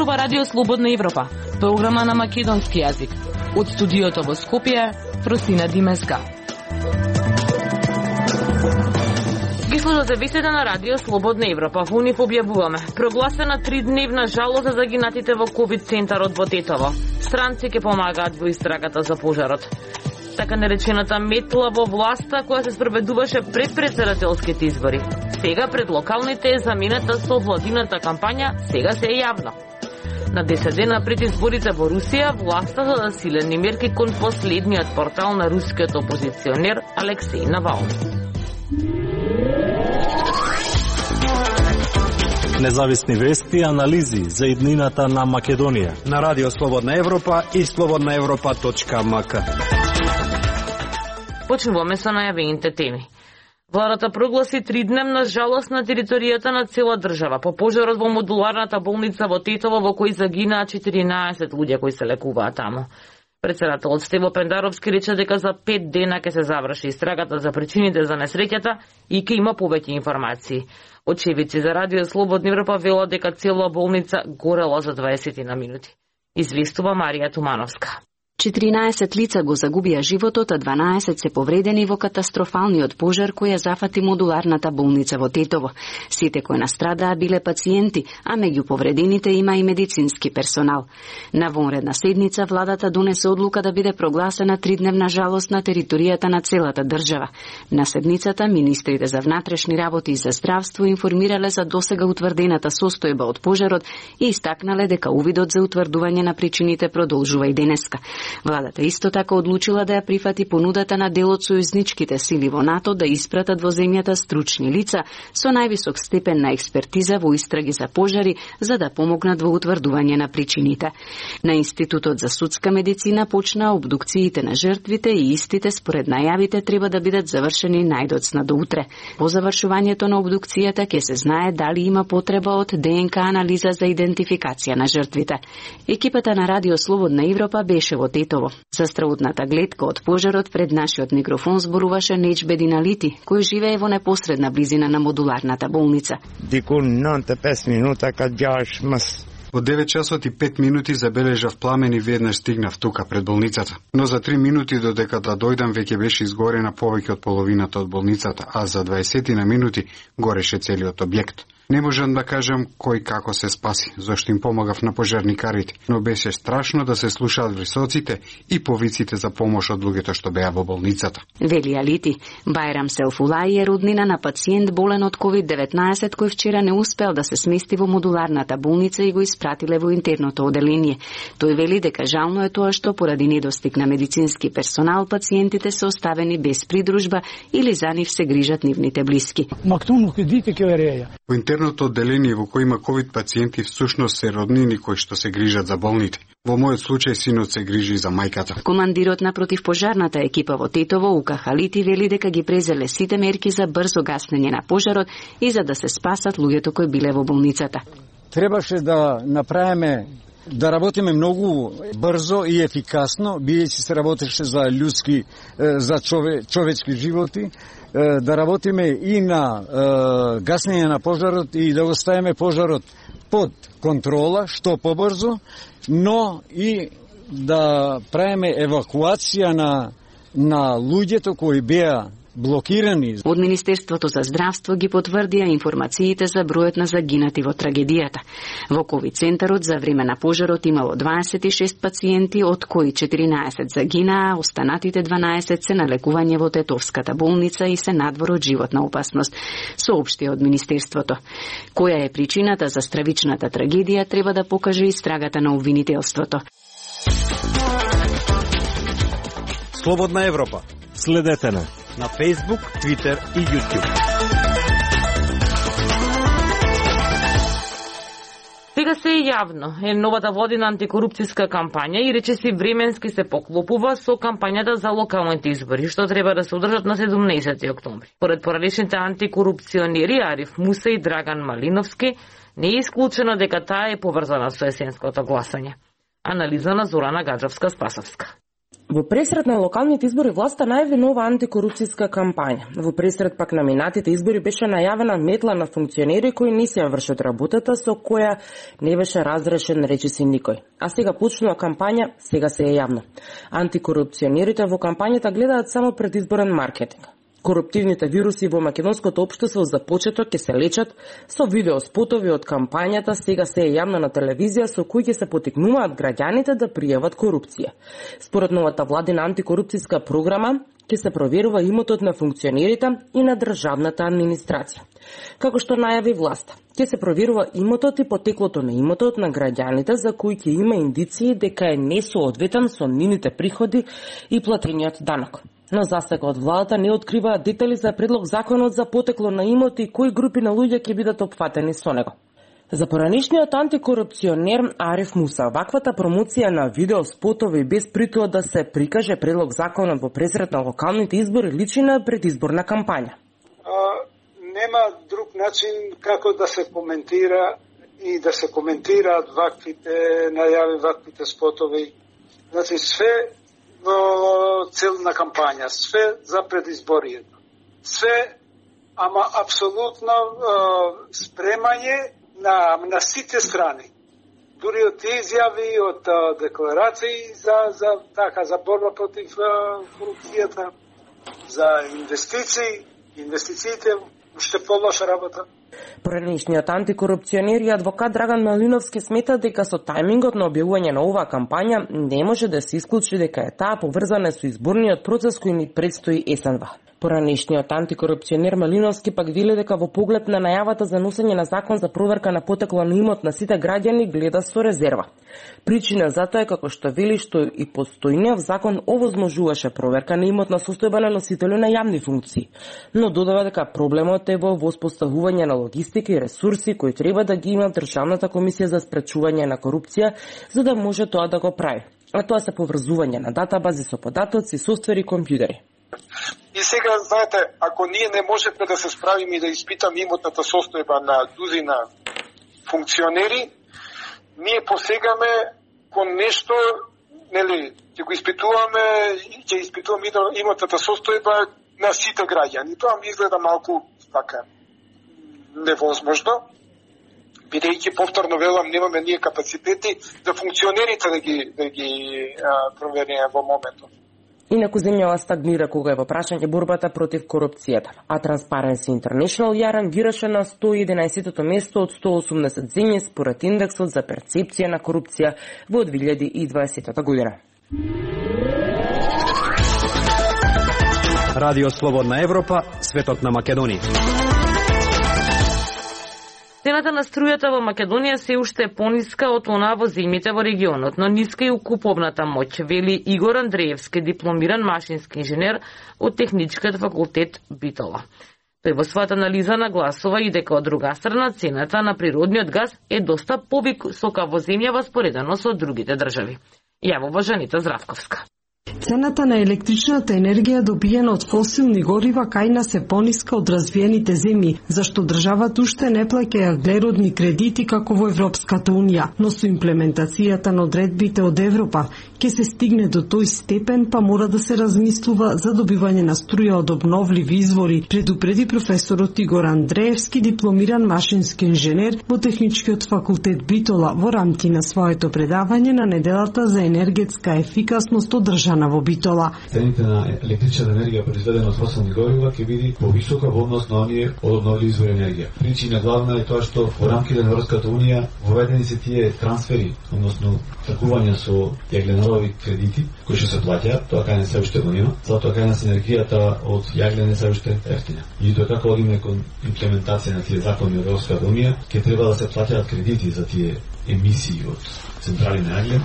зборува Радио Слободна Европа, програма на македонски јазик. Од студиото во Скопје, Просина Димеска. Ги слушате вестите на Радио Слободна Европа. Во нив објавуваме прогласена 3-дневна жалост за загинатите во ковид центарот во Тетово. Странци ќе помагаат во истрагата за пожарот. Така наречената метла во власта која се спроведуваше пред претседателските избори. Сега пред локалните е заменета со владината кампања, сега се е јавно. На 10 дена пред изборите во Русија, власта зададе силени мерки кон последниот портал на рускиот опозиционер Алексеј Навални. Независни вести и анализи за иднината на Македонија на Радио Слободна Европа и slobodnaevropa.mk. Почнуваме со најавените теми. Владата прогласи 3-дневна жалост на територијата на цела држава по пожарот во модуларната болница во Тетово, во кој загинаа 14 луѓе кои се лекуваат таму. Претседателот Стево Пендаровски рече дека за 5 дена ќе се заврши истрагата за причините за несреќата и ќе има повеќе информации. Очевидци за Радио Слободна Европа велат дека цела болница горела за 20 на минути. Известува Марија Тумановска. 14 лица го загубија животот, а 12 се повредени во катастрофалниот пожар кој ја зафати модуларната болница во Тетово. Сите кои настрадаа биле пациенти, а меѓу повредените има и медицински персонал. На вонредна седница владата донесе одлука да биде прогласена 3-дневна жалост на територијата на целата држава. На седницата министрите за внатрешни работи и за здравство информирале за досега утврдената состојба од пожарот и истакнале дека увидот за утврдување на причините продолжува и денеска. Владата исто така одлучила да ја прифати понудата на дел од сојузничките сили во НАТО да испратат во земјата стручни лица со највисок степен на експертиза во истраги за пожари за да помогнат во утврдување на причините. На Институтот за судска медицина почнаа обдукциите на жртвите и истите според најавите треба да бидат завршени најдоцна до утре. По завршувањето на обдукцијата ќе се знае дали има потреба од ДНК анализа за идентификација на жртвите. Екипата на Радио Слободна Европа беше во Тетово. За страутната гледка од пожарот пред нашиот микрофон зборуваше Неџбедин Алити, кој живее во непосредна близина на модуларната болница. Во 9 часот и 5 минути забележав пламен и веднаш стигнав тука пред болницата. Но за 3 минути додека да дојдам веќе беше изгорена повеќе од половината од болницата, а за 20 на минути гореше целиот објект. Не можам да кажам кој како се спаси, зашто им помагав на пожарникарите, но беше страшно да се слушаат врисоците и повиците за помош од луѓето што беа во болницата. Вели Алити, Бајрам Селфулај е роднина на пациент болен од COVID-19 кој вчера не успел да се смести во модуларната болница и го испратиле во интерното оделение. Тој вели дека жално е тоа што поради недостиг на медицински персонал пациентите се оставени без придружба или за нив се грижат нивните блиски. Во интерното одделение во кој има ковид пациенти всушност се роднини кои што се грижат за болните. Во мојот случај синот се грижи за мајката. Командирот на противпожарната екипа во Тетово, Ука Халити, вели дека ги презеле сите мерки за брзо гаснење на пожарот и за да се спасат луѓето кои биле во болницата. Требаше да направиме да работиме многу брзо и ефикасно, бидејќи се работеше за людски, за човечки животи, да работиме и на гаснење на пожарот и да го ставиме пожарот под контрола, што побрзо, но и да правиме евакуација на луѓето кои беа блокирани. Од Министерството за здравство ги потврдија информациите за бројот на загинати во трагедијата. Во ковид центарот за време на пожарот имало 26 пациенти, од кои 14 загинаа, останатите 12 се на лекување во Тетовската болница и се надвор од животна опасност, соопшти од Министерството. Која е причината за стравичната трагедија треба да покаже истрагата на обвинителството. Слободна Европа. Следете на Facebook, Twitter и YouTube. Сега се е јавно е новата владина антикорупцијска кампања и речиси временски се поклопува со кампањата за локалните избори, што треба да се одржат на 17 октомври. Поред поранешните антикорупционери Ариф Муса и Драган Малиновски, не е исклучено дека таа е поврзана со есенското гласање. Анализа на Зорана Гаджовска-Спасовска. Во пресред на локалните избори власта најави нова антикорупцијска кампања. Во пресред пак на минатите избори беше најавена метла на функционери кои не си ја вршат работата со која не беше разрешен речиси никој. А сега почнува кампања, сега се е јавно. Антикорупционерите во кампањата гледаат само предизборен маркетинг. Коруптивните вируси во македонското општество за почеток ќе се лечат со видеоспотови од кампањата, сега се е јавно на телевизија со кои ќе се потикнуваат граѓаните да пријават корупција. Според новата владина антикорупцијска програма, ќе се проверува имотот на функционерите и на државната администрација. Како што најави власта, ќе се проверува имотот и потеклото на имотот на граѓаните за кои ќе има индиции дека е несоодветен со нивните приходи и платениот данок. Но засега од владата не откриваат детали за предлог законот за потекло на имоти и кои групи на луѓе ќе бидат опфатени со него. За поранешниот антикорупционер Ариф Муса, ваквата промоција на видеоспотови без притоа да се прикаже предлог законот во пресред на локалните избори личи на предизборна кампања. Нема друг начин како да се коментира и да се коментираат ваквите најави, ваквите спотови. Значи све во цел на кампања, све за предизборието. Све, ама апсолутно спремање на сите страни. Дури од изјави, од декларации за борба против корупцијата, за инвестициите, уште полоша работа. Поранешниот антикорупционер и адвокат Драган Малиновски смета дека со тајмингот на објавување на оваа кампања не може да се исклучи дека е таа поврзана со изборниот процес кој ни предстои есенва. Поранешниот антикорупционер Малиновски пак вели дека во поглед на најавата за носење на закон за проверка на потекло на имот на сите граѓани гледа со резерва. Причина за тоа е како што вели што и постојниот закон овозможуваше проверка на имот на состојба на носители на јавни функции, но додава дека проблемот е во воспоставување на логистика и ресурси кои треба да ги има Државната комисија за спречување на корупција за да може тоа да го прави. А тоа се поврзување на датабази со податоци, софтвери и компјутери. И сега, знаете, ако ние не можеме да се справиме и да испитаме имотната состојба на дузина функционери, ние посегаме кон нешто, нели, ќе испитуваме имотната состојба на сите граѓани. Тоа ми изгледа малку така невозможно, бидејќи повторно велам, немаме ние капацитети за функционерите да ги провериме во моментот. Инаку земјава стагнира кога е во прашање борбата против корупцијата, а Transparency International ја рангираше на 111-то место од 180 земји според индексот за перцепција на корупција во 2020 година. Радио Слободна Европа, светот на Македонија. Цената на струјата во Македонија се уште е пониска од онаа во земјите во регионот, но ниска и куповната моќ, вели Игор Андреевски, дипломиран машински инженер од Техничкиот факултет Битола. Тој во својата анализа нагласува и дека од друга страна цената на природниот газ е доста повисока во земјава споредено со другите држави. Јавува Жанита Здравковска. Цената на електричната енергија добиена од фосилни горива кај нас е пониска од развиените земји, зашто државата уште не плаќа аглеродни кредити како во Европската унија, но со имплементацијата на одредбите од Европа ќе се стигне до тој степен, па мора да се размислува за добивање на струја од обновливи извори, предупреди професорот Игор Андреевски, дипломиран машински инженер во Техничкиот факултет Битола во рамки на своето предавање на неделата за енергетска ефикасност одржана во Битола. Цените на електрична енергија произведена од фосилни горива ќе биде повисока во однос на оние од обновливи извори енергија. Причина главна е тоа што во рамките на Европската унија воведени се тие трансфери, односно тргување со јагленорови кредити кои што се плаќаат, тоа кај не се уште го нема, затоа кај нас енергијата од јаглен се уште ефтина. И тоа како одиме кон имплементација на тие закони од Европската унија, ќе треба да се плаќаат кредити за тие емисии од централи на јаглен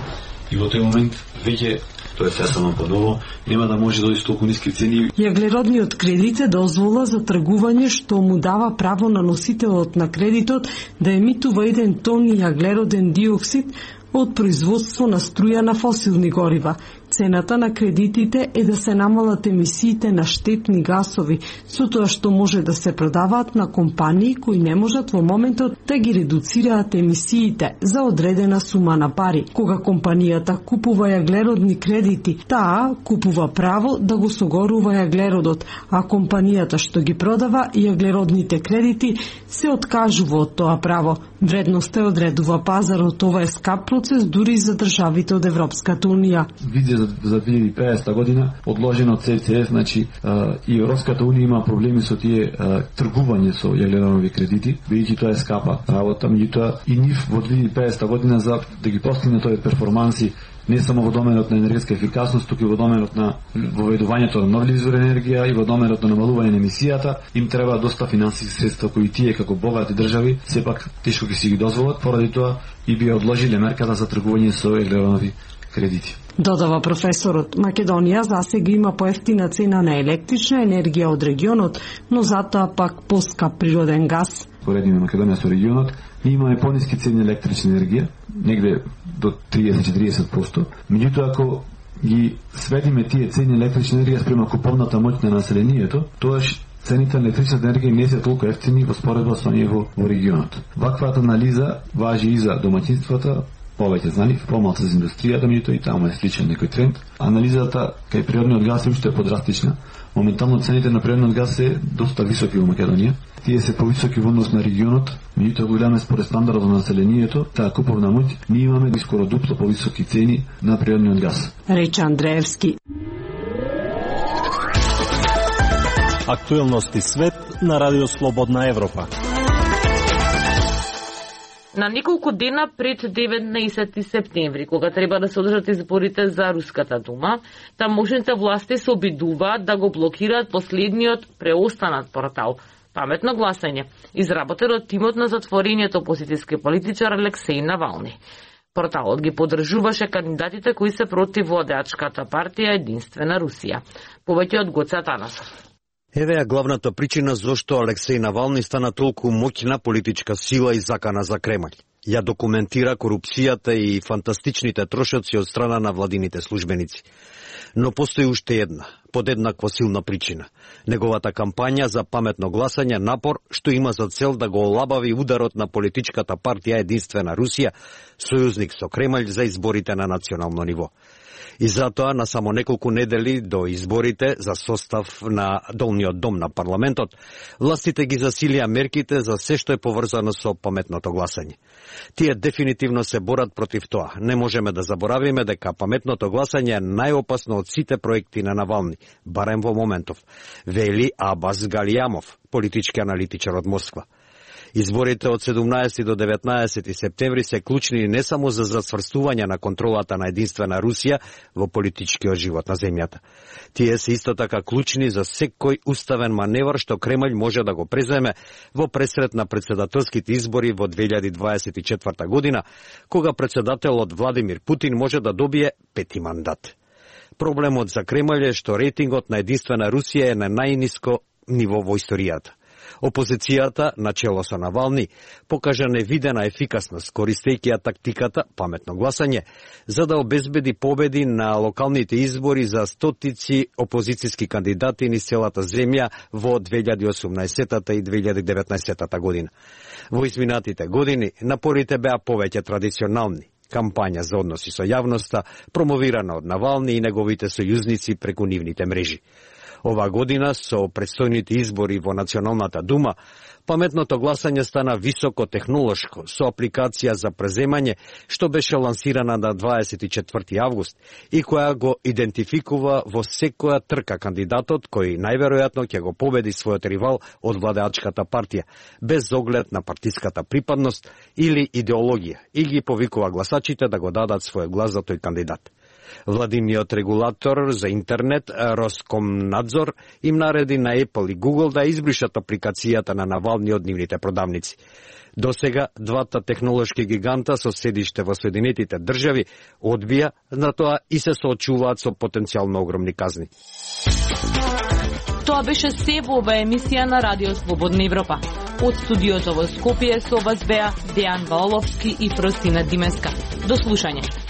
и во тој момент веќе тоа е само подово, нема да може да дојде толку ниски цени. Јаглеродниот кредит е дозвола за тргување што му дава право на носителот на кредитот да емитува 1 тон јаглероден диоксид од производство на струја на фосилни горива. Цената на кредитите е да се намалат емисиите на штетни гасови, со тоа што може да се продаваат на компании кои не можат во моментот да ги редуцираат емисиите за одредена сума на пари. Кога компанијата купува јаглеродни кредити, таа купува право да го согорува јаглеродот, а компанијата што ги продава јаглеродните кредити се откажува од тоа право. Вредноста е одредува пазарот. Ова е скап процес дури за државите од Европската унија. Визија за 2050 година одложено CCS, значи и Европската унија има проблеми со тие тргување со јаглеронови кредити, бидејќи тоа е скапа работа, меѓутоа и нив во 2050 година за да ги постигне тој перформанси не само во доменот на енергетска ефикасност, туку и во доменот на воведувањето на нови извори енергија и во доменот на намалување на емисијата, им треба доста финансиски средства кои тие како богати држави сепак тешко ќе си ги дозволат, поради тоа и би одложиле мерката за тргување со јаглеронови кредити. Додава професорот, Македонија засега има поевтина цена на електрична енергија од регионот, но затоа пак поскап природен газ. Поредиме Македонија со регионот, ние имаме пониски цени електрична енергија, негде до 30-40%. Меѓутоа, ако ги сведиме тие цени електрична енергија спрема куповната моќ на населението, тоаш цените на електрична енергија не се толку ефтини во споредба со ние во регионот. Ваквата анализа важи и за домаќинствата, повеќе за нив, помалку за индустријата, меѓутоа и таму е сличен некој тренд. Анализата кај природниот газ уште е подрастична. Моментално цените на природниот газ се доста високи во Македонија. Тие се повисоки во однос на регионот, меѓутоа го гледаме според стандардот на населението, таа куповна моќ, ние имаме скоро дупло повисоки цени на природниот газ. Рече Андреевски. Актуелности свет на Радио Слободна Европа. На неколку дена пред 19 септември, кога треба да се одржат изборите за Руската дума, тамошните власти се обидуваат да го блокираат последниот преостанат портал Паметно гласање, изработен од тимот на затворениот опозицијски политичар Алексеј Навални. Порталот ги поддржуваше кандидатите кои се против владеачката партија Единствена Русија. Повеќе од Гоце Атанасов. Еве ја главната причина зошто Алексеј Навални стана толку моќна политичка сила и закана за Кремљ. Ја документира корупцијата и фантастичните трошоци од страна на владините службеници. Но постои уште една, подеднакво силна причина. Неговата кампања за паметно гласање, напор што има за цел да го олабави ударот на политичката партија Единствена Русија, сојузник со Кремљ за изборите на национално ниво. И затоа на само неколку недели до изборите за состав на долниот дом на парламентот, властите ги засилија мерките за се што е поврзано со паметното гласање. Тие дефинитивно се борат против тоа. Не можеме да заборавиме дека паметното гласање е најопасно од сите проекти на Навални, барем во моментов, вели Абас Галијамов, политички аналитичар од Москва. Изборите од 17 до 19 септември се клучни не само за зацврстување на контролата на Единствена Русија во политичкиот живот на земјата. Тие се исто така клучни за секој уставен маневр што Кремљ може да го преземе во пресрет на председателските избори во 2024 година, кога председателот Владимир Путин може да добие пети мандат. Проблемот за Кремљ е што рейтингот на Единствена Русија е на најниско ниво во историјата. Опозицијата, начело со Навални, покажа невидена ефикасност, користејќи ја тактиката паметно гласање, за да обезбеди победи на локалните избори за стотици опозицијски кандидати низ целата земја во 2018 и 2019 година. Во изминатите години напорите беа повеќе традиционални. Кампања за односи со јавноста, промовирана од Навални и неговите сојузници преку нивните мрежи. Ова година, со предстојните избори во Националната дума, паметното гласање стана високотехнолошко, со апликација за преземање, што беше лансирана на 24 август и која го идентификува во секоја трка кандидатот кој најверојатно ќе го победи својот ривал од владеачката партија, без оглед на партиската припадност или идеологија, и ги повикува гласачите да го дадат својот глас за тој кандидат. Владиниот регулатор за интернет, Роскомнадзор, им нареди на Apple и Google да избришат апликацијата на Навални од нивните продавници. До сега, двата технолошки гиганта со седиште во Соединетите држави одбија на тоа и се соочуваат со потенцијално огромни казни. Тоа беше се во ова емисија на Радио Слободна Европа. Од студиото во Скопје со вас беа Дејан Валовски и Фростина Димеска. До слушање.